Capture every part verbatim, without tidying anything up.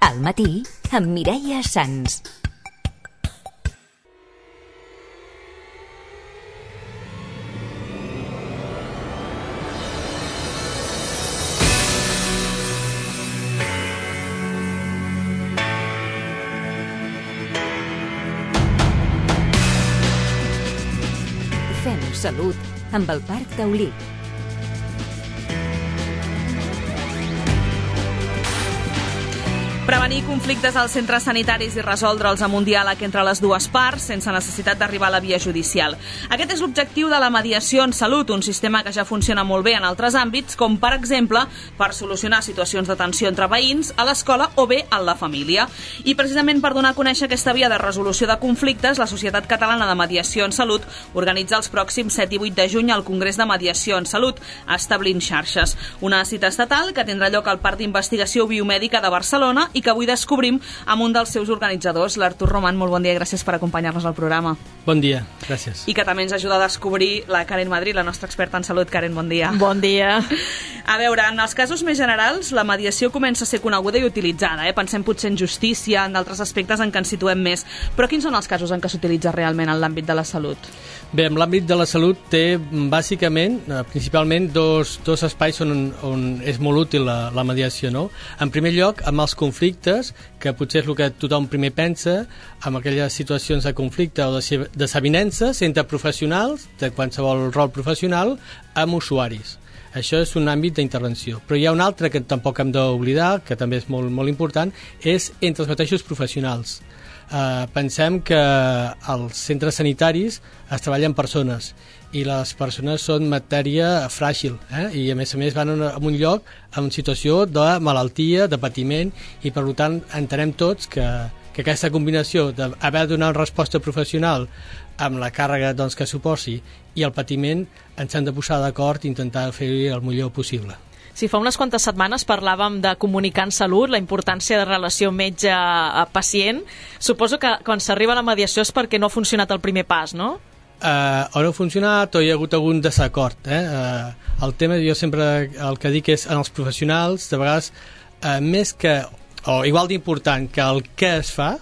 Al matí, amb Mireia Sans. Fem salut amb el Parc Taulí. Prevenir conflictes als centres sanitaris i resoldre'ls amb un diàleg entre les dues parts sense necessitat d'arribar a la via judicial. Aquest és l'objectiu de la mediació en salut, un sistema que ja funciona molt bé en altres àmbits, com per exemple per solucionar situacions de tensió entre veïns, a l'escola o bé en la família. I precisament per donar a conèixer aquesta via de resolució de conflictes, la Societat Catalana de Mediació en Salut organitza els pròxims set i vuit de juny al Congrés de Mediació en Salut, Establint Xarxes, una cita estatal que tindrà lloc al Parc d'Investigació Biomèdica de Barcelona i que avui descobrim amb un dels seus organitzadors, l'Artur Roman. Molt bon dia i gràcies per acompanyar-nos al programa. Bon dia, gràcies. I que també ens ajuda a descobrir la Karen Madrid, la nostra experta en salut. Karen, bon dia. Bon dia. A veure, en els casos més generals, la mediació comença a ser coneguda i utilitzada. Eh? Pensem potser en justícia, en d'altres aspectes en què ens situem més. Però quins són els casos en què s'utilitza realment en l'àmbit de la salut? Bé, en l'àmbit de la salut té bàsicament, principalment, dos, dos espais on, on és molt útil la, la mediació, no? En primer lloc, amb els conflictes, que potser és el que tothom primer pensa, amb aquelles situacions de conflicte o de desavinences entre professionals, de qualsevol rol professional, amb usuaris. Això és un àmbit d'intervenció. Però hi ha un altre que tampoc hem d'oblidar, que també és molt, molt important, és entre els mateixos professionals. Uh, pensem que als centres sanitaris es treballen persones i les persones són matèria fràgil, eh? I a més a més van a un lloc en situació de malaltia, de patiment, i per tant entenem tots que, que aquesta combinació d'haver de donar una resposta professional amb la càrrega doncs, que suposi i el patiment ens hem de posar d'acord i intentar fer-hi el millor possible. Sí, fa unes quantes setmanes parlàvem de comunicar en salut, la importància de relació metge-pacient. Suposo que quan s'arriba a la mediació és perquè no ha funcionat el primer pas, no? Uh, o no ha funcionat o hi ha hagut algun desacord. Eh? Uh, el tema, jo sempre el que dic és en els professionals, de vegades, uh, més que, o igual d'important que el què es fa,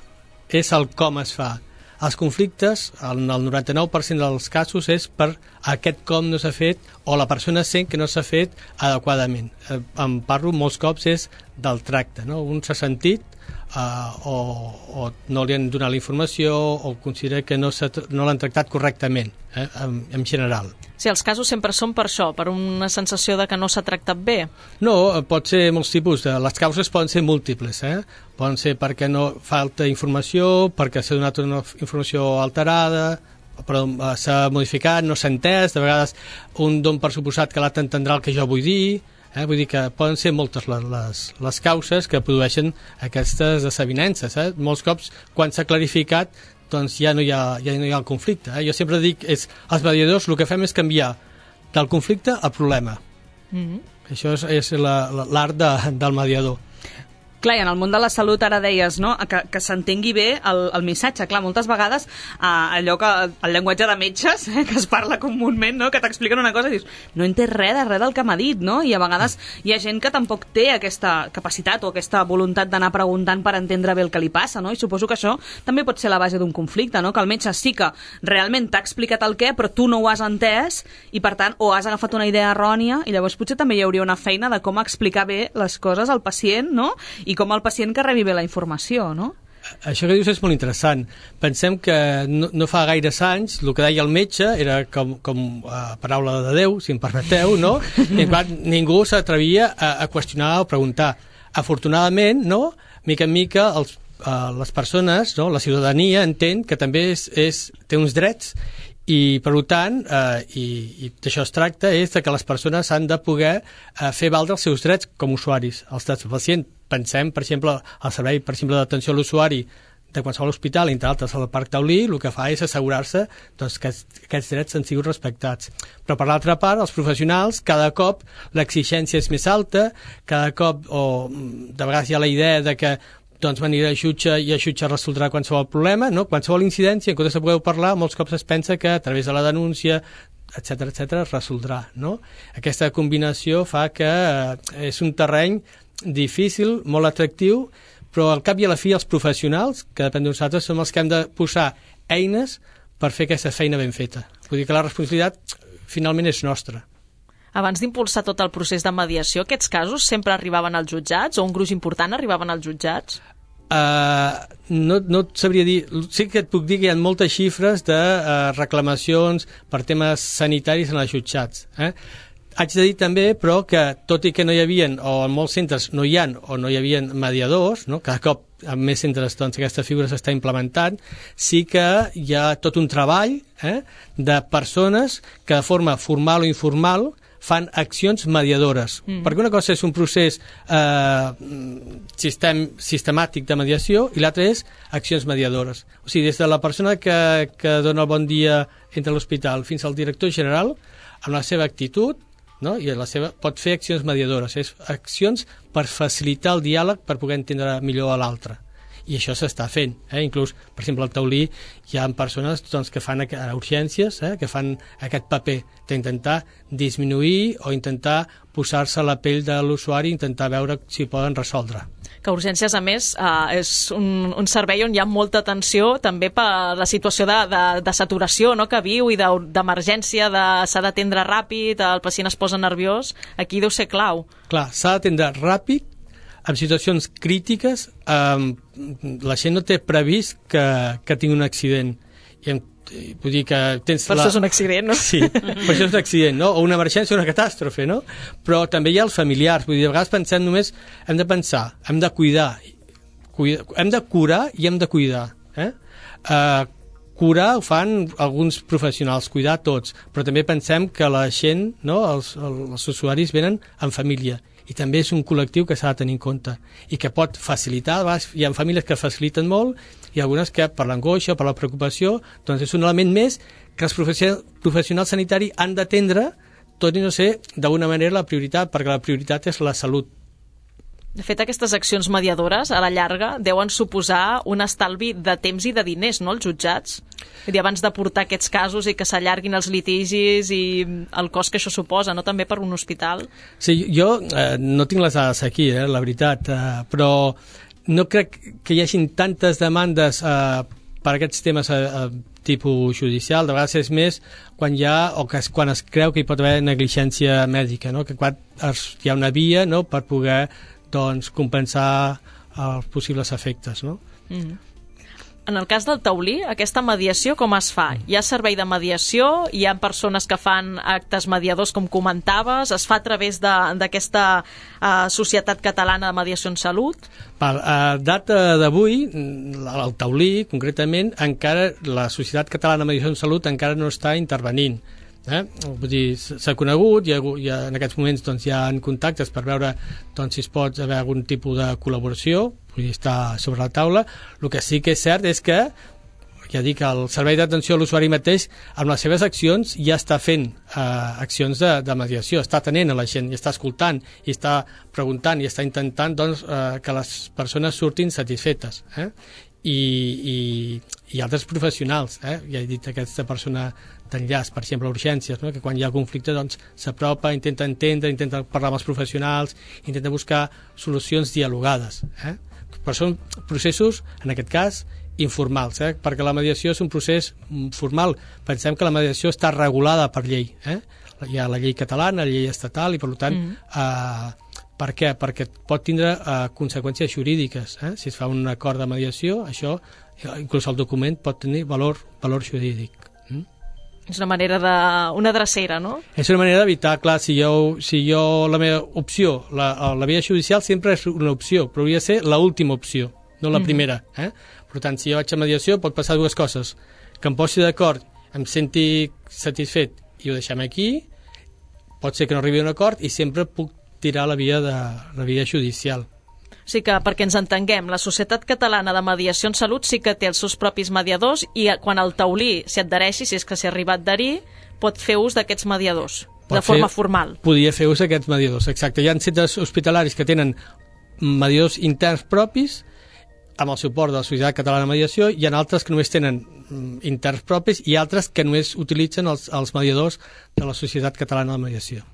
és el com es fa. Els conflictes, en el noranta-nou per cent dels casos, és per aquest com no s'ha fet o la persona sent que no s'ha fet adequadament. Eh, em parlo molts cops és del tracte, no? Un s'ha sentit uh, o, o no li han donat la informació o considera que no, no l'han tractat correctament, eh, en, en general. Sí, els casos sempre són per això, per una sensació de que no s'ha tractat bé. No, pot ser molts tipus. De, les causes poden ser múltiples, eh? Poden ser perquè no falta informació, perquè s'ha donat una informació alterada, però s'ha modificat, no s'ha entès, de vegades un don per suposat que l'altre entendrà el que jo vull dir, eh? Vull dir que poden ser moltes les, les, les causes que produeixen aquestes desavinences. Eh? Molts cops, quan s'ha clarificat, doncs ja no hi ha, ja no hi ha el conflicte. Eh? Jo sempre dic, és, els mediadors el que fem és canviar del conflicte al problema. Mm-hmm. Això és, és l'art de, del mediador. Clar, i en el món de la salut ara deies, no?, que, que s'entengui bé el, el missatge. Clar, moltes vegades eh, allò que el llenguatge de metges, eh, que es parla comúment, no?, que t'expliquen una cosa i dius, no he entès res de res del que m'ha dit, no? I a vegades hi ha gent que tampoc té aquesta capacitat o aquesta voluntat d'anar preguntant per entendre bé el que li passa, no? I suposo que això també pot ser la base d'un conflicte, no?, que el metge sí que realment t'ha explicat el què, però tu no ho has entès i, per tant, o has agafat una idea errònia i llavors potser també hi hauria una feina de com explicar bé les coses al pacient, no?, i com el pacient que rebi bé la informació, no? Això que dius és molt interessant. Pensem que no, no fa gaires anys el que deia el metge era com, com uh, paraula de Déu, si em permeteu, no? I en qual ningú s'atrevia a, a qüestionar o preguntar. Afortunadament, no? Mica en mica els, uh, les persones, no? La ciutadania entén que també és, és, té uns drets i, per tant, eh, i, i d'això es tracta, és que les persones han de poder eh, fer valdre els seus drets com a usuaris. Els drets del pacient, pensem, per exemple, al servei, per exemple, d'atenció a l'usuari de qualsevol hospital, entre altres al Parc Taulí, el que fa és assegurar-se doncs, que aquests drets han sigut respectats. Però, per l'altra part, els professionals, cada cop l'exigència és més alta, cada cop, o de vegades hi ha la idea de que doncs venir a jutge i a jutge resoldrà qualsevol problema, no? Qualsevol incidència, en comptes de poder parlar, molts cops es pensa que a través de la denúncia, etcètera, etcètera, es resoldrà, no? Aquesta combinació fa que és un terreny difícil, molt atractiu, però al cap i a la fi els professionals, que depèn de nosaltres, som els que hem de posar eines per fer aquesta feina ben feta. Vull dir que la responsabilitat finalment és nostra. Abans d'impulsar tot el procés de mediació, aquests casos sempre arribaven als jutjats o un gruix important arribaven als jutjats? Uh, no, no et sabria dir, sí que et puc dir que hi ha moltes xifres de uh, reclamacions per temes sanitaris en els jutjats. Eh? Haig de dir també, però, que tot i que no hi havia, o en molts centres no hi ha, o no hi havia mediadors, no? Cada cop en més centres doncs, aquesta figura s'està implementant, sí que hi ha tot un treball eh, de persones que de forma formal o informal fan accions mediadores. Mm. Perquè una cosa és un procés eh, sistem, sistemàtic de mediació i l'altra és accions mediadores. O sigui, des de la persona que, que dona el bon dia entre l'hospital fins al director general, amb la seva actitud, no? I la seva, pot fer accions mediadores, és accions per facilitar el diàleg per poder entendre millor a l'altre. I això s'està fent. Eh? Inclús, per exemple, al taulí hi ha persones doncs, que fan a urgències, eh? que fan aquest paper d'intentar disminuir o intentar posar-se a la pell de l'usuari i intentar veure si poden resoldre. Que urgències, a més, eh, és un, un servei on hi ha molta atenció també per la situació de, de, de saturació no? que viu i d'emergència, de, s'ha d'atendre ràpid, el pacient es posa nerviós, aquí deu ser clau. Clar, s'ha d'atendre ràpid, en situacions crítiques, eh, la gent no té previst que, que tingui un accident. I em, vull dir que tens per la... això és un accident, no? Sí, per això és un accident, no? O una emergència o una catàstrofe, no? Però també hi ha els familiars. Vull dir, a vegades pensem només, hem de pensar, hem de cuidar, cuidar hem de curar i hem de cuidar. Eh? Eh, curar ho fan alguns professionals, cuidar tots, però també pensem que la gent, no? els, els usuaris venen en família. I també és un col·lectiu que s'ha de tenir en compte i que pot facilitar. Hi ha famílies que faciliten molt i algunes que per l'angoixa o per la preocupació doncs és un element més que els professionals sanitaris han d'atendre, tot i no ser d'alguna manera la prioritat, perquè la prioritat és la salut. De fet, aquestes accions mediadores, a la llarga, deuen suposar un estalvi de temps i de diners, no?, als jutjats. Vull dir, abans de portar aquests casos i que s'allarguin els litigis i el cost que això suposa, no?, també per un hospital. Sí, jo eh, no tinc les dades aquí, eh, la veritat, eh, però no crec que hi hagin tantes demandes eh, per aquests temes eh, tipus judicial. De vegades és més quan hi ha, o que es, quan es creu que hi pot haver negligència mèdica, no?, que quan es, hi ha una via, no?, per poder doncs, compensar els possibles efectes, no? Mm. En el cas del taulí, aquesta mediació com es fa? Hi ha servei de mediació, hi ha persones que fan actes mediadors, com comentaves, es fa a través d'aquesta uh, Societat Catalana de Mediació en Salut? Per a data d'avui, el taulí, concretament, encara la Societat Catalana de Mediació en Salut encara no està intervenint. Eh? Vull dir, s'ha conegut, hi ha, hi ha, en aquests moments doncs, hi ha contactes per veure doncs, si es pot haver algun tipus de col·laboració, vull dir, està sobre la taula. El que sí que és cert és que, ja dic, el Servei d'Atenció a l'Usuari mateix, amb les seves accions, ja està fent eh, accions de, de mediació, està atenent a la gent, i està escoltant, i està preguntant, i està intentant doncs, eh, que les persones surtin satisfetes. Eh? I, i, i altres professionals, eh? Ja he dit aquesta persona d'enllaç, per exemple, urgències, no? Que quan hi ha conflicte doncs, s'apropa, intenta entendre, intenta parlar amb els professionals, intenta buscar solucions dialogades. Eh? Però són processos, en aquest cas, informals, eh? Perquè la mediació és un procés formal. Pensem que la mediació està regulada per llei. Eh? Hi ha la llei catalana, la llei estatal, i per tant... Mm. Eh, per què? Perquè pot tindre eh, conseqüències jurídiques. Eh? Si es fa un acord de mediació, això, inclús el document, pot tenir valor, valor jurídic. Mm? És una manera de... una drecera, no? És una manera d'evitar, clar, si jo, si jo la meva opció, la, la via judicial sempre és una opció, però hauria de ser l'última opció, no la mm. primera. Eh? Per tant, si jo vaig a mediació, pot passar dues coses. Que em posi d'acord, em senti satisfet i ho deixem aquí, pot ser que no arribi a un acord i sempre puc tirar la via, de, la via judicial. O sigui que, perquè ens entenguem, la Societat Catalana de Mediació en Salut sí que té els seus propis mediadors i quan el taulí s'hi adhereixi, si és que s'hi arriba a adherir, pot fer ús d'aquests mediadors, pot de forma fer, formal. Podria fer ús d'aquests mediadors, exacte. Hi ha centres hospitalaris que tenen mediadors interns propis amb el suport de la Societat Catalana de Mediació, hi ha altres que només tenen interns propis i altres que només utilitzen els, els mediadors de la Societat Catalana de Mediació.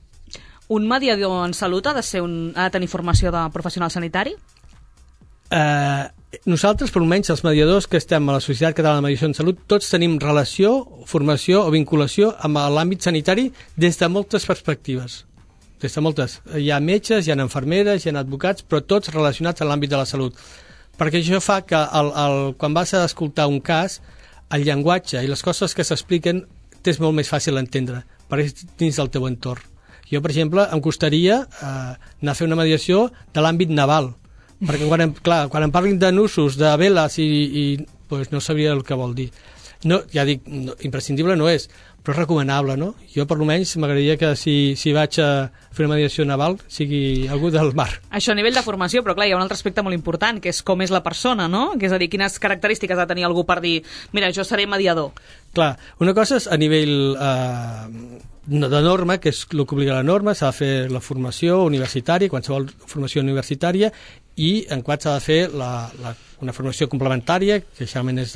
Un mediador en salut ha de, ser un, ha de tenir formació de professional sanitari? Eh, nosaltres, per almenys els mediadors que estem a la Societat Catalana de Mediació en Salut, tots tenim relació, formació o vinculació amb l'àmbit sanitari des de moltes perspectives. Des de moltes. Hi ha metges, hi ha infermeres, hi ha advocats, però tots relacionats amb l'àmbit de la salut. Perquè això fa que el, el, quan vas a escoltar un cas, el llenguatge i les coses que s'expliquen t'és molt més fàcil d'entendre, perquè és dins del teu entorn. Jo, per exemple, em costaria eh, anar a fer una mediació de l'àmbit naval, perquè quan em, clar, quan em parlin de nusos, de veles, i, i pues, no sabria el que vol dir. No, ja dic, no, imprescindible no és, però és recomanable, no? Jo, per almenys, m'agradaria que si, si vaig a fer una mediació naval sigui algú del mar. Això a nivell de formació, però clar, hi ha un altre aspecte molt important, que és com és la persona, no? Que és a dir, quines característiques ha de tenir algú per dir, mira, jo seré mediador. Clar, una cosa és a nivell eh, de norma, que és el que obliga la norma, s'ha de fer la formació universitària, qualsevol formació universitària, i en quart s'ha de fer la, la, una formació complementària, que generalment és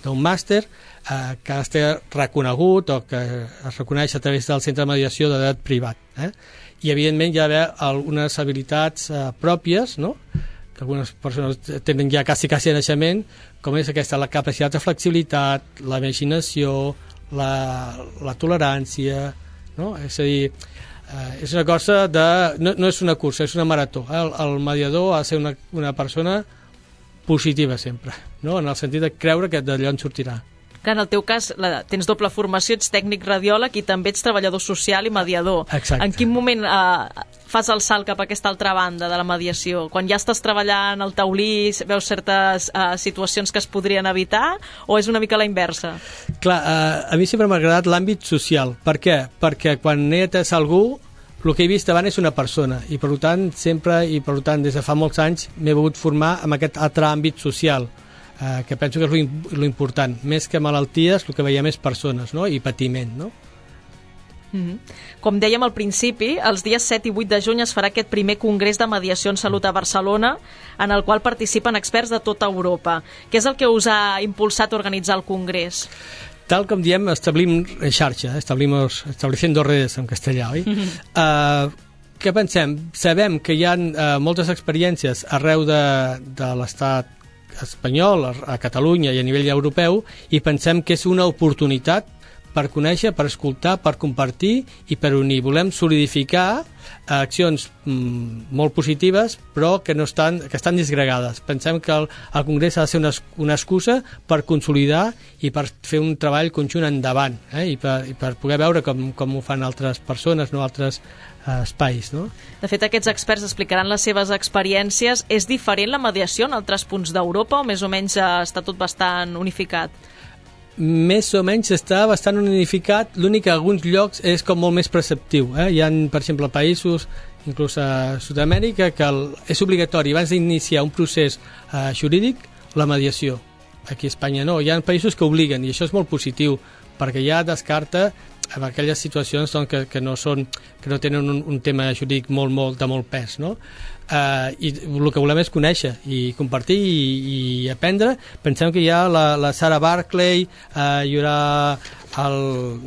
d'un màster, eh, que ha d'estar reconegut o que es reconeix a través del centre de mediació de dret privat. Eh? I, evidentment, hi ha d'haver algunes habilitats eh, pròpies, no?, que algunes persones tenen ja quasi, quasi a naixement, com és aquesta, la capacitat de flexibilitat, la imaginació, la, la tolerància, no? És a dir, Uh, és una cosa de... No, no és una cursa, és una marató. El, el mediador ha de ser una, una persona positiva sempre, no? En el sentit de creure que d'allò en sortirà. Que en el teu cas la, tens doble formació, ets tècnic radiòleg i també ets treballador social i mediador. Exacte. En quin moment eh, fas el salt cap a aquesta altra banda de la mediació? Quan ja estàs treballant al taulí, veus certes eh, situacions que es podrien evitar, o és una mica la inversa? Clar, eh, a mi sempre m'ha agradat l'àmbit social. Per què? Perquè quan he atès algú, el que he vist abans és una persona, i per tant sempre, i per tant des de fa molts anys m'he volgut formar en aquest altre àmbit social, eh, que penso que és l'important. Més que malalties, el que veiem és persones, no?, i patiment, no? Mm-hmm. Com dèiem al principi, els dies set i vuit de juny es farà aquest primer congrés de mediació en salut a Barcelona, en el qual participen experts de tota Europa. Què és el que us ha impulsat a organitzar el congrés? Tal com diem, establim en xarxa, establimos, estableciendo redes en castellà, oi? Mm-hmm. Uh, què pensem? Sabem que hi ha uh, moltes experiències arreu de, de l'estat espanyol, a, a Catalunya i a nivell europeu, i pensem que és una oportunitat per conèixer, per escoltar, per compartir i per unir. Volem solidificar accions mm, molt positives, però que no estan, que estan disgregades. Pensem que el, el Congrés ha de ser una, una excusa per consolidar i per fer un treball conjunt endavant, eh? I, per, i per poder veure com, com ho fan altres persones, no altres eh, espais. No? De fet, aquests experts explicaran les seves experiències. És diferent la mediació en altres punts d'Europa o més o menys està tot bastant unificat? Més o menys està bastant unificat, l'únic que a alguns llocs és com molt més preceptiu. Eh? Hi ha, per exemple, països, inclús a Sud-amèrica, que el, és obligatori abans d'iniciar un procés eh, jurídic la mediació. Aquí a Espanya no, hi ha països que obliguen, i això és molt positiu, perquè ja descarta en aquelles situacions doncs, que, que, no són, que no tenen un, un tema jurídic molt, molt, de molt pes, no? Uh, i el que volem és conèixer i compartir i, i aprendre. Pensem que hi ha la, la Sarah Barclay, uh, hi haurà el,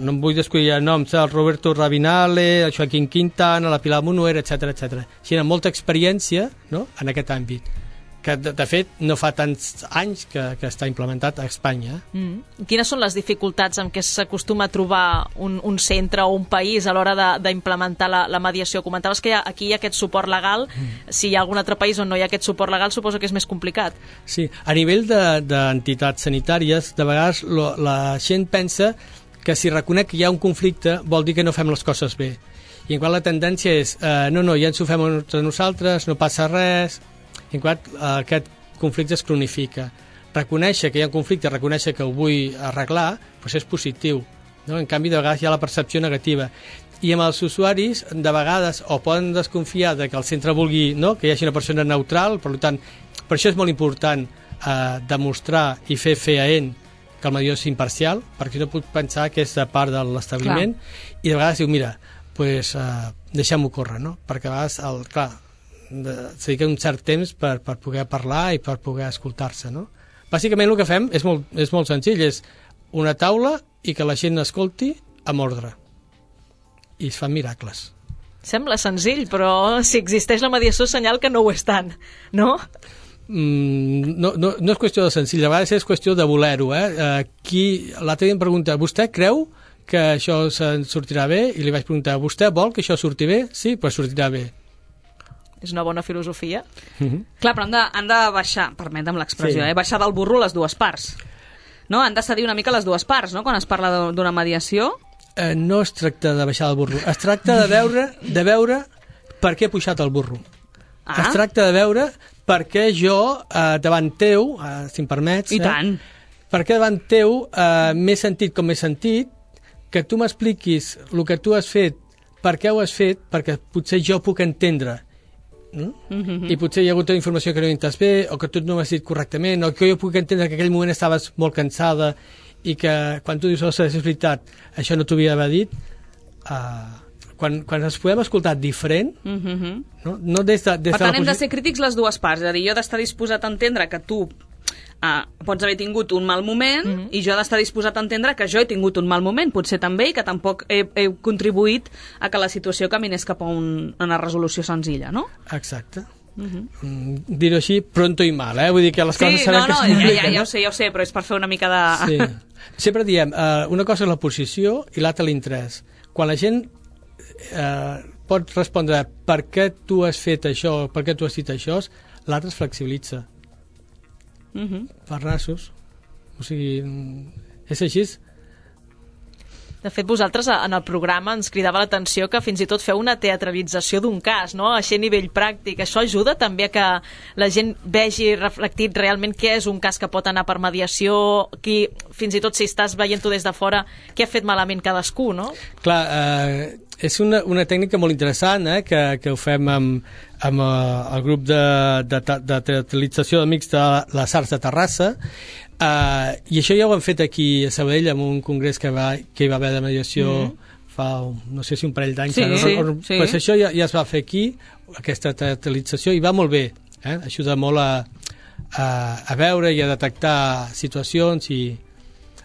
no em vull descuidar noms, el Roberto Rabinale, el Joaquín Quintana, la Pilar Munuera, etcètera, etcètera. Així, hi ha molta experiència, no?, en aquest àmbit, que de, de fet no fa tants anys que, que està implementat a Espanya. Mm. Quines són les dificultats amb què s'acostuma a trobar un, un centre o un país a l'hora d'implementar la, la mediació? Comentaves que hi ha, aquí hi ha aquest suport legal, mm. si hi ha algun altre país on no hi ha aquest suport legal suposo que és més complicat. Sí, a nivell d'entitats de, sanitàries de vegades lo, la gent pensa que si reconec que hi ha un conflicte vol dir que no fem les coses bé, i en qual la tendència és eh, no, no, ja ens ho fem entre nosaltres, no passa res. En quant aquest conflicte es cronifica. Reconèixer que hi ha un conflicte, reconèixer que ho vull arreglar, doncs és positiu, no? En canvi, de vegades hi ha la percepció negativa. I amb els usuaris, de vegades, o poden desconfiar de que el centre vulgui, no?, que hi hagi una persona neutral, per tant, per això és molt important eh, demostrar i fer fefaent que el mediador és imparcial, perquè no puc pensar que és de part de l'establiment, i de vegades diu, mira, pues, eh, deixem-ho córrer, no? Perquè a vegades, el, clar, se dedica un cert temps per, per poder parlar i per poder escoltar-se, no? Bàsicament el que fem és molt, és molt senzill, és una taula i que la gent escolti amb ordre, i es fan miracles. Sembla senzill, però si existeix la mediació senyal que no ho és tant, no? mm, no, no, no és qüestió de senzill, a vegades és qüestió de voler-ho. Eh? Uh, qui, l'altre dia em pregunta, vostè creu que això se'n sortirà bé? I li vaig preguntar, vostè vol que això surti bé? Sí, però sortirà bé. És una bona filosofia. Mm-hmm. Clar, però han de, han de baixar, permetem l'expressió, Sí. eh? baixar del burro les dues parts. No? Han de cedir una mica les dues parts, no?, quan es parla de- d'una mediació. Eh, no es tracta de baixar el burro, es tracta de veure, de veure per què he pujat el burro. Ah. Es tracta de veure per què jo, eh, davant teu, eh, si em permets... I eh, tant. Per què davant teu eh, m'he sentit com m'he sentit, que tu m'expliquis el que tu has fet, per què ho has fet, perquè potser jo puc entendre. Mm? Mm-hmm. I potser hi ha hagut una informació que no he entès bé, o que tu no m'has dit correctament, o que jo puc entendre que en aquell moment estaves molt cansada i que quan tu dius, ostres, és veritat, això no t'ho havia d'haver dit, uh, quan, quan ens podem escoltar diferent, Mm-hmm. no, no des de, des Per de tant, la hem de posi- ser crítics les dues parts. És a dir, jo he d'estar disposat a entendre que tu ah, pots haver tingut un mal moment Mhm. i jo he d'estar disposat a entendre que jo he tingut un mal moment, potser també, i que tampoc he, he contribuït a que la situació caminés cap a un, una resolució senzilla, no? Exacte. Mhm. Mm, dir-ho així, pronto i mal, eh? Vull dir que les coses Sí, sabem no, que no, es ja, ja, compliquen, ja no? ho sé, ja ho sé, però és per fer una mica de... Sí. Sempre diem, uh, una cosa és la posició i l'altra l'interès. Quan la gent uh, pot respondre per què tu has fet això, per què tu has dit això, l'altre es flexibilitza. Mhm. Per nassos. O sigui, mm, és així. De fet, vosaltres en el programa ens cridava l'atenció que fins i tot feu una teatralització d'un cas, no? Així a nivell pràctic. Això ajuda també a que la gent vegi reflectit realment què és un cas que pot anar per mediació, qui, fins i tot si estàs veient-ho des de fora, què ha fet malament cadascú, no? Clar, eh, és una, una tècnica molt interessant, eh, que, que ho fem amb, amb eh, el grup de, de, de teatralització d'amics de les Arts de Terrassa, Uh, i això ja ho hem fet aquí a Sabadell amb un congrés que, va, que hi va haver de mediació mm-hmm. fa, no sé si un parell d'anys, Sí, no, sí, no, sí. pues això ja, ja es va fer aquí, aquesta teatralització, i va molt bé, eh? Ajuda molt a, a, a veure i a detectar situacions i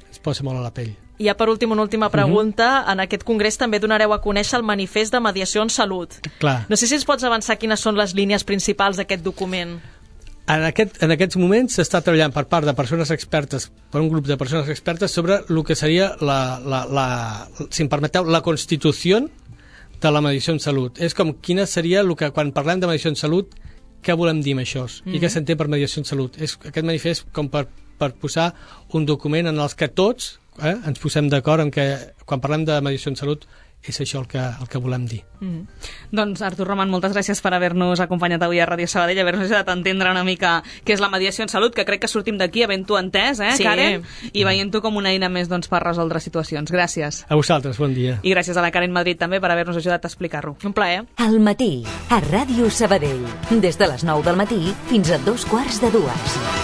es posa molt a la pell. I ja per últim, una última pregunta. Mm-hmm. En aquest congrés també donareu a conèixer el manifest de mediació en salut. Clar. No sé si ens pots avançar quines són les línies principals d'aquest document. En, aquest, en aquests moments s'està treballant per part de persones expertes, per un grup de persones expertes, sobre el que seria, la, la, la, si em permeteu, la constitució de la mediació en salut. És com quina seria el que, quan parlem de mediació en salut, què volem dir amb això? Mm-hmm. I què s'entén per mediació en salut? És aquest manifest com per, per posar un document en els que tots eh, ens posem d'acord en que quan parlem de mediació en salut és això el que, el que volem dir. Mm. Doncs, Artur Roman, moltes gràcies per haver-nos acompanyat avui a Ràdio Sabadell, haver-nos ajudat a entendre una mica què és la mediació en salut, que crec que sortim d'aquí havent-ho entès, eh, Sí. Karen? I veient-ho com una eina més doncs, per resoldre situacions. Gràcies. A vosaltres, bon dia. I gràcies a la Karen Madrid també per haver-nos ajudat a explicar-ho. Un plaer. Al matí, a Ràdio Sabadell. Des de les nou del matí fins a dos quarts de dues.